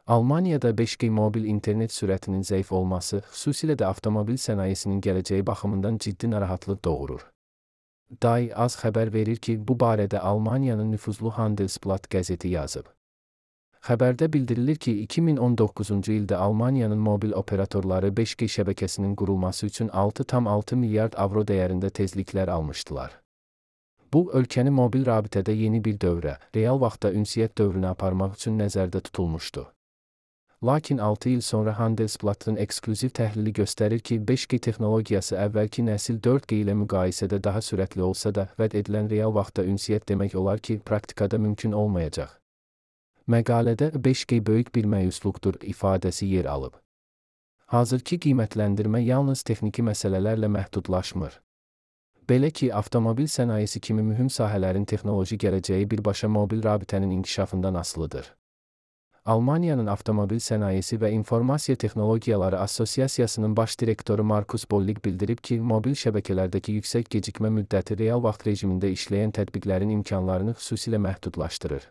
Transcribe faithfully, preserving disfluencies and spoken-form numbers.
Almaniyada beş G mobil internet sürətinin zəif olması, xüsusilə də avtomobil sənayesinin gələcəyi baxımından ciddi narahatlıq doğurur. Die Az xəbər verir ki, bu barədə Almaniyanın nüfuzlu Handelsblatt qəzeti yazıb. Xəbərdə bildirilir ki, iki min on doqquzuncu ildə Almaniyanın mobil operatorları beş G şəbəkəsinin qurulması üçün altı tam altı milyard avro dəyərində tezliklər almışdılar. Bu, ölkəni mobil rabitədə yeni bir dövrə, real vaxtda ünsiyyət dövrünə aparmaq üçün nəzərdə tutulmuşdu. Lakin altı il sonra Handelsblattın eksklüziv təhlili göstərir ki, beş G texnologiyası əvvəlki nəsil dörd G ilə müqayisədə daha sürətli olsa da, vəd edilən real vaxtda ünsiyyət demək olar ki, praktikada mümkün olmayacaq. Məqalədə beş G böyük bir məyusluqdur ifadəsi yer alıb. Hazırki qiymətləndirmə yalnız texniki məsələlərlə məhdudlaşmır. Belə ki, avtomobil sənayesi kimi mühüm sahələrin texnoloji gələcəyi birbaşa mobil rabitənin inkişafından asılıdır. Almaniyanın Avtomobil Sənayesi və İnformasiya Texnologiyaları Assosiasiyasının baş direktoru Markus Bollig bildirib ki, mobil şəbəkələrdəki yüksək gecikmə müddəti real vaxt rejimində işləyən tətbiqlərin imkanlarını xüsusilə məhdudlaşdırır.